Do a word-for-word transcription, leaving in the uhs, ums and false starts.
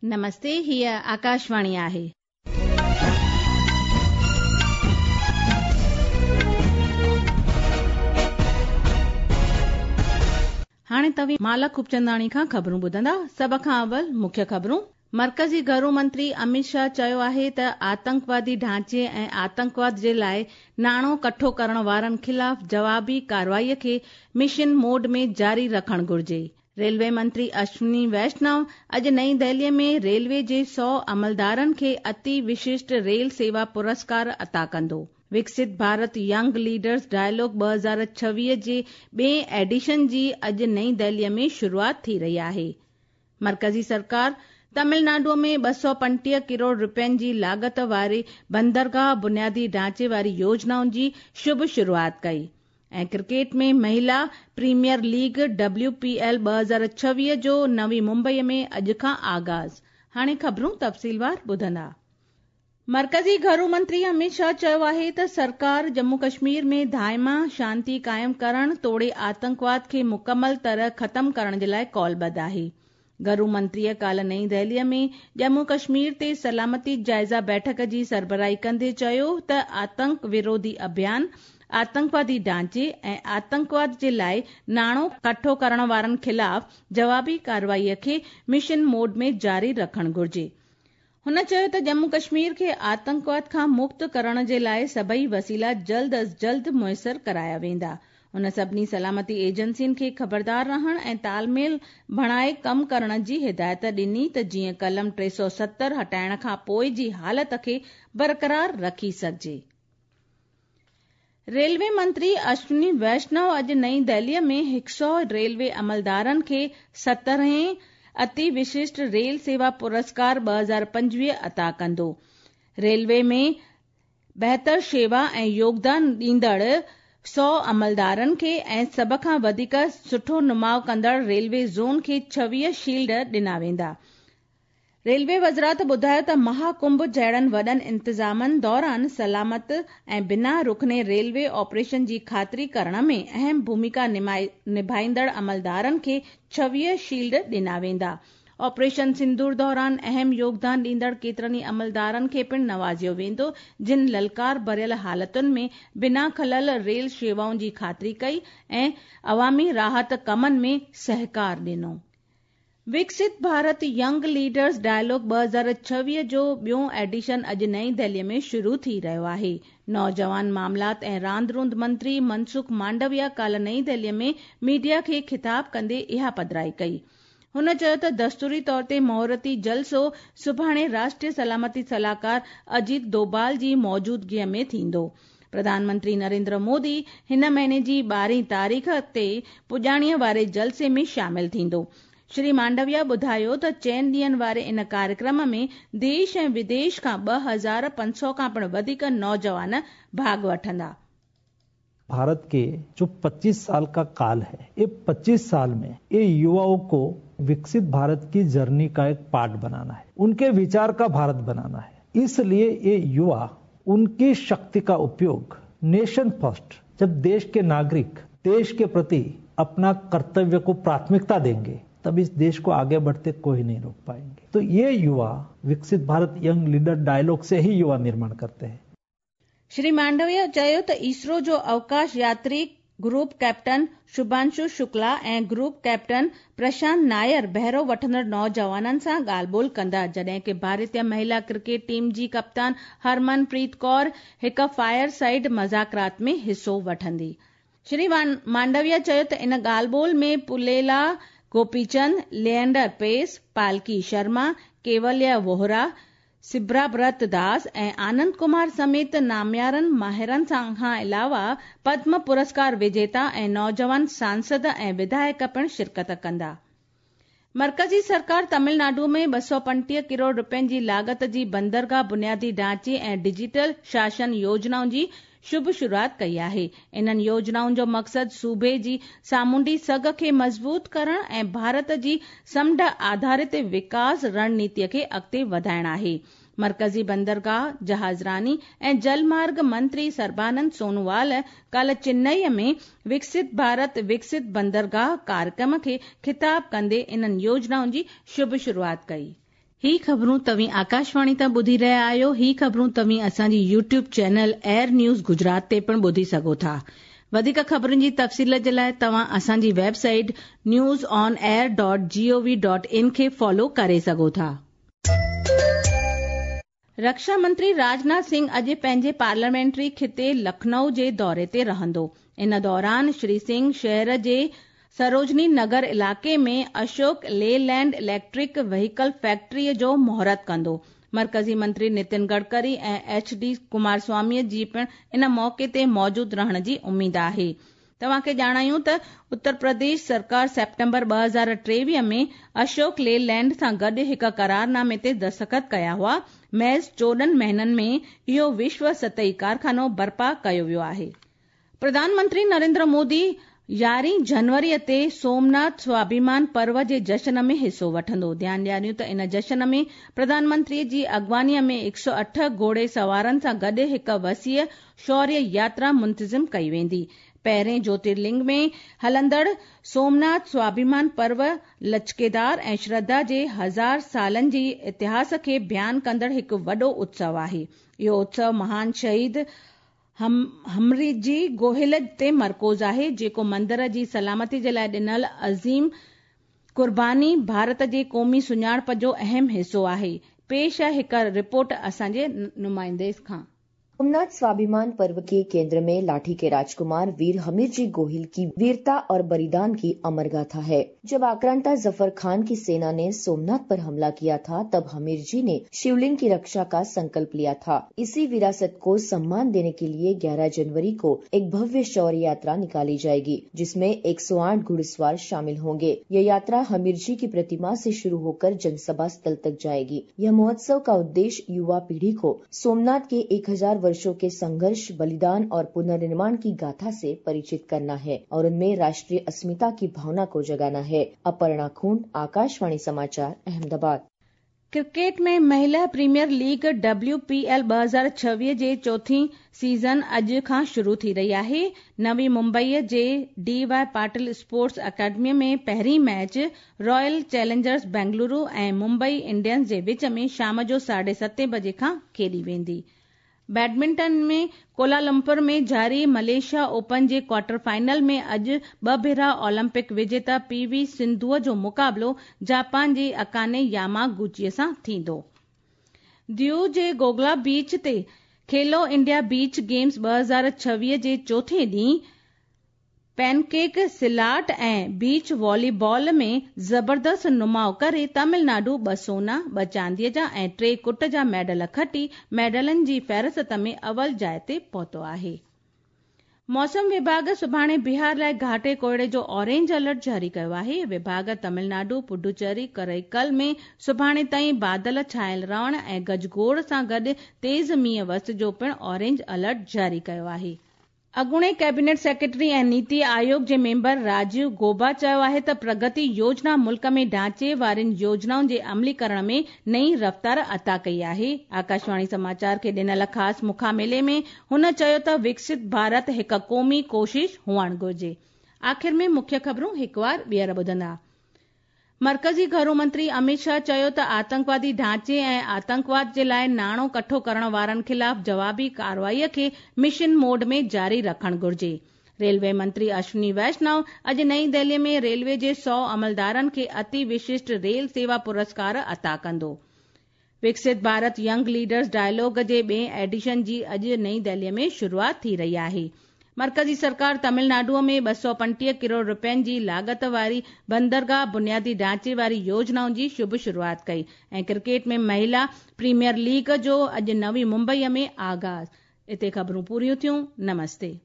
नमस्ते, हीअ आकाशवाणी आहे। हाणे तव्हीं माला खूबचंदाणी खां ख़बरूं ॿुधंदा। सभ खां अवल मुख्य ख़बरूं। मर्कज़ी घरू मंत्री अमित शाह चयो आहे त आतंकवादी ढांचे ऐं आतंकवाद जे लाइ नाणो कठो करण वारनि ख़िलाफ़ जवाबी कार्रवाईअ खे मिशन मोड में जारी रखणु घुर्जे। रेलवे मंत्री अश्विनी वैष्णव अॼु नई दिल्लीअ में रेलवे जे सौ अमलदारनि खे अति विशिष्ट रेल सेवा पुरस्कार अता कंदो। विकसित भारत यंग लीडर्स डायलॉग ॿ हज़ार छवीह जे ॿिए एडिशन जी अॼु नई दिल्लीअ में शुरूआत थी रही आहे। मर्कज़ी सरकार तमिलनाडु में ॿ सौ पंटीह करोड़ रुपयनि जी लागत वारे बंदरगाह बुनियादी ढांचे वारी योजनाउनि जी शुभ शुरूआत कई। ऐं क्रिकेट में महिला premier league W P L ॿ हज़ार छवीह जो नवी मुंबईअ में अॼु खां आगाज़। हाणे ख़बरूं तफ़सीलवार ॿुधंदा। मर्कज़ी घरू मंत्री अमित शाह चयो आहे त सरकार जम्मू कश्मीर में दाइमा शांति क़ाइमु करण तोड़े आतंकवाद खे मुकमल तरह ख़तम करण जे लाइ कौलबद्ध आहे। घरू मंत्रीअ काल्ह नई दिल्लीअ में जम्मू कश्मीर ते सलामती जाइज़ा बैठक जी सरबराही कंदे चयो त आतंक विरोधी अभियान, आतंकवादी ढांचे ऐं आतंकवाद जे लाइ नाणो कठो करण वारनि ख़िलाफ़ जवाबी कार्रवाईअ खे मिशन मोड में जारी रखणु घुर्जे। हुन चयो त जम्मू कश्मीर खे आतंकवाद खां मुक्त करण जे लाइ सभई वसीला जल्द अज़ जल्द मुयसर कराया वेंदा। हुन सभिनी सलामती एजेंसियुनि खे ख़बरदार रहण ऐं तालमेल बणाए कमु करण जी हिदायत ॾिनी त जीअं कलम टे सौ सत्तर हटाइण खां पोइ जी हालत खे बरक़रार रखी सघिजे। रेलवे मंत्री अश्विनी वैष्णव अॼु नई दिल्लीअ में हिकु सौ रेलवे अमलदारनि खे सतरहें अति विशिष्ट रेल सेवा पुरस्कार ॿ हज़ार पंजवीह अता कंदो। रेलवे में बहितर शेवा ऐं योगदान ॾींदड़ सौ अमलदारनि खे ऐं सभ खां वधीक सुठो नुमाउ कंदड़ रेलवे ज़ोन खे छवीह शील्ड ॾिना वेंदा। रेलवे वज़ारत ॿुधायो त महाकुंभ जहिड़नि वॾनि इंतज़ामनि दौरान सलामत ऐं बिना रुखने रेलवे ऑपरेशन जी ख़ातिरी करण में अहम भूमिका निभाईंदड़ अमलदारनि खे छवीह शील्ड ॾिना वेंदा। ऑपरेशन सिंदूर दौरान अहम योगदान ॾींदड़ केतिरनि अमलदारनि खे पिणु नवाज़ियो वेंदो, जिन ललकार भरियल हालतुनि में बिना खलल रेल शेवाउनि जी ख़ातिरी कई ऐं अवामी राहत कमनि में सहकार ॾिनो। विकसित भारत यंग लीडर्स डायलॉग ॿ हज़ार छवीह जो ॿियो एडिशन अॼु नई दिल्लीअ में शुरू थी रहियो आहे। नौजवान मामलात ऐं रांदि रूंदि मंत्री मनसुख मांडविया काल्ह नई दिल्लीअ में मीडिया खे ख़िताब कंदे इहा पधराई कई। हुन चयो त दस्तूरी तौर ते मुहूर्ती जलसो सुभाणे राष्ट्रीय सलामती सलाहकार अजीत डोभाल जी मौजूदगीअ में थींदो। प्रधानमंत्री नरेंद्र मोदी हिन महीने जी ॿारहीं तारीख़ ते पुॼाणीअ वारे जलसे में शामिल थींदो। श्री मांडविया ॿुधायो त चइनि ॾींहंनि वारे इन कार्यक्रम में देश ऐं विदेश खां ॿ हज़ार पंज सौ खां पिणु वधीक नौजवान भाॻ वठंदा। भारत के जो पच्चीस साल का काल है, ये पच्चीस साल में ये युवाओं को विकसित भारत की जर्नी का एक पार्ट बनाना है, उनके विचार का भारत बनाना है। इसलिए ये युवा उनकी शक्ति का उपयोग नेशन फर्स्ट, जब देश के नागरिक देश के प्रति अपना कर्तव्य को प्राथमिकता देंगे तब इस देश को आगे बढ़ते कोई नहीं रोक पाएंगे। तो ये युवा विकसित भारत यंग लीडर डायलॉग से ही युवा निर्माण करते हैं। श्री मांडविया चयो त इसरो जो अवकाश यात्री ग्रुप कैप्टन शुभांशु शुक्ला ऐं ग्रुप कैप्टन प्रशांत नायर बहिरो वठंदड़ नौजवाननि सां ॻाल्हि ॿोल कंदा, जॾहिं की भारतीय महिला क्रिकेट टीम जी कप्तान हरमनप्रीत कौर हिकु फायर साइड मज़ाकरात में हिसो वठंदी। श्री मांडविया चयो त इन ॻाल्हि ॿोल में पुलेला गोपीचंद, लिएंडर पेस, पालकी शर्मा, केवल्या वोहरा, सिब्राब्रत दास ऐं आनंद कुमार समेत नामियारनि माहिरनि खां अलावा पद्म पुरस्कार विजेता ऐं नौजवान सांसद ऐं विधायक पिणु शिरकत कंदा। मर्कज़ी सरकार तमिलनाडु में ॿ सौ पंटीह करोड़ रुपयनि जी लागत जी बंदरगाह बुनियादी ढांचे ऐं डिजिटल शासन योजनाउनि जी शुभ शुरूआत कई आहे। इन्हनि योजनाउनि जो मक़सदु सूबे जी सामुंडी सघ खे मज़बूत करण ऐं भारत जी समुंड आधारित विकास रणनीतीअ खे अॻिते वधाइण आहे। मर्कज़ी बंदरगाह, जहाज़रानी ऐं जलमार्ग मंत्री सर्बानंद सोनोवाल काल्ह चेन्नई में विकसित भारत विकसित बंदरगाह कार्यक्रम खे ख़िताब कंदे इन्हनि योजनाउनि जी शुभ शुरूआत कई। ही ख़बरूं तव्हीं आकाशवाणी तां ॿुधी रहिया आहियो। ही ख़बरूं तव्हीं असांजी YouTube channel AIR news Gujarat ते पिणु ॿुधी सघो था। वधीक ख़बरुनि जी तफ़सील जे लाइ तव्हां असांजी website news on air dot gov dot in खे फॉलो करे सघो था। रक्षा मंत्री राजनाथ सिंह अॼु पंहिंजे पार्लियामेंट्री खिते लखनऊ जे दौरे ते रहंदो। इन दौरान श्री सिंह शहर जे सरोजनी नगर इलाइक़े में अशोक लेलैंड इलेक्ट्रिक व्हीकल फैक्ट्रीअ जो मुहूर्त कंदो। मर्कज़ी मंत्री नितिन गडकरी ऐं एच डी कुमारस्वामीअ जी पिणु इन मौक़े ते मौजूदु रहण जी उमेद आहे। तव्हांखे ॼाणायूं त उत्तर प्रदेश सरकार सेप्टेम्बर ॿ हज़ार टेवीह में अशोक लेलैंड सां गॾु हिकु करारनामे ते दस्तख़त कया हुआ। महज़ चोॾहं महीननि में इहो विश्व सतही कारखानो बर्पा कयो वियो आहे। प्रधानमंत्री नरेंद्र मोदी यारहीं जनवरीअ ते सोमनाथ स्वाभिमान पर्व जे जश्न में हिसो वठंदो। ध्यानु ॾियारियूं त इन जश्न में प्रधानमंत्रीअ जी अॻुवानीअ में हिकु सौ अठ घोड़े सवारनि सां गॾु हिकु वसीअ शौर्य यात्रा मुंतज़िम कई वेंदी। पहिरें ज्योतिर्लिंग में हलंदड़ सोमनाथ स्वाभिमान पर्व लचकेदार ऐं श्रद्धा जे हज़ार सालनि जी इतिहास खे बयानु कंदड़ हिकु वॾो उत्सव आहे। इहो उत्सव महान शहीद हम हमरीजी गोहिल ते मरकूज़ आहे, जेको मंदिर जी सलामती जे लाइ ॾिनल अज़ीम कुर्बानी भारत जे क़ौमी सुञाणप जो अहम हिसो आहे। पेश आहे हिकु रिपोर्ट असांजे नुमाइंदे खां। सोमनाथ स्वाभिमान पर्व के केंद्र में लाठी के राजकुमार वीर हमीर जी गोहिल की वीरता और बलिदान की अमर गाथा है। जब आक्रांता जफर खान की सेना ने सोमनाथ पर हमला किया था, तब हमीर जी ने शिवलिंग की रक्षा का संकल्प लिया था। इसी विरासत को सम्मान देने के लिए ग्यारह जनवरी को एक भव्य शौर्य यात्रा निकाली जाएगी, जिसमें एक सौ आठ घुड़सवार शामिल होंगे। यह यात्रा हमीर जी की प्रतिमा से शुरू होकर जनसभा स्थल तक जाएगी। यह महोत्सव का उद्देश्य युवा पीढ़ी को सोमनाथ के एक हजार वर्षों के संघर्ष, बलिदान और पुनर्निर्माण की गाथा से परिचित करना है और उनमें राष्ट्रीय अस्मिता की भावना को जगाना है। अपर्णा खूंट, आकाशवाणी समाचार, अहमदाबाद। क्रिकेट में महिला premier league W P L ॿ हज़ार छवीह जे चोथीं सीज़न अॼु खां शुरू थी रही आहे। नवी मुंबईअ जे D Y Patil sports academy में पहिरीं मैच रॉयल चैलेंजर्स बेंगलुरु ऐं मुंबई इंडियंस जे विच में शाम जो साढे सतें बजे खां खेॾी वेंदी। बैडमिंटन में कोलालमपुर में जारी मलेशिया ओपन जे क्वार्टर फाइनल में अॼु ॿ भेरा ओलंपिक विजेता पी वी सिंधूअ जो मुक़ाबिलो जापान जी अकाने यामागुचीअ सां थींदो। दीव जे गोगला बीच ते खेलो इंडिया बीच गेम्स ॿ हज़ार छवीह जे चोथें ॾींहुं पैनकेक सिलाट ऐं बीच वॉलीबॉल में ज़बरदस्त नुमाउ करे तमिलनाडु ॿ सोना, ॿ चांदीअ जा ऐं टे कुट जा मेडल खटी मेडलनि जी फ़हरिस्त में अव्वल जाइ ते पहुतो आहे। मौसम विभाग सुभाणे बिहार लाइ घाटे कोहड़े जो ऑरेंज अलर्ट जारी कयो आहे। विभाग तमिलनाडु, पुडुचेरी, करैकल में सुभाणे ताईं बादल छायल रहण ऐं गजगोड़ सां गॾु तेज़ मींहुं वस जो पिणु ऑरेंज अलर्ट जारी कयो आहे। अॻूणे कैबिनेट सेक्रेटरी ऐं नीति आयोग जे मेंबर राजीव गोबा चयो आहे त प्रगति योजना मुल्क में ढांचे वारियुनि योजनाउनि जे अमलीकरण में नई रफ़्तार अता कई आहे। आकाशवाणी समाचार खे ॾिनल ख़ासि मुखामिले में हुन चयो त विकसित भारत हिकु क़ौमी कोशिश हुअणु घुरिजे। आख़िर में मुख्य ख़बरूं हिकु वार ॿीहर ॿुधंदा। मर्कज़ी घरू मंत्री अमित शाह चयो त आतंकवादी ढांचे ऐं आतंकवाद जे लाइ नाणो कठो करण वारनि ख़िलाफ़ जवाबी कार्रवाईअ खे मिशन मोड में जारी रखणु घुरिजे। रेलवे मंत्री अश्विनी वैष्णव अॼु नई दिल्लीअ में रेलवे जे सौ अमलदारनि खे अति विशिष्ट रेल सेवा पुरस्कार अता कंदो। विकसित भारत यंग लीडर्स डायलॉग जे ॿिए एडिशन जी अॼु नई दिल्लीअ में शुरूआत थी रही आहे। मर्कज़ी सरकार तमिलनाडुअ में ॿ सौ पंटीह करोड़ रुपयनि जी लागत वारी बंदरगाह बुनियादी ढांचे वारी योजनाउनि जी शुभ शुरूआत कई। ऐं क्रिकेट में महिला प्रीमियर लीग जो अॼु नवी मुंबईअ में आगाज़। हिते ख़बरूं पूरियूं थियूं। नमस्ते।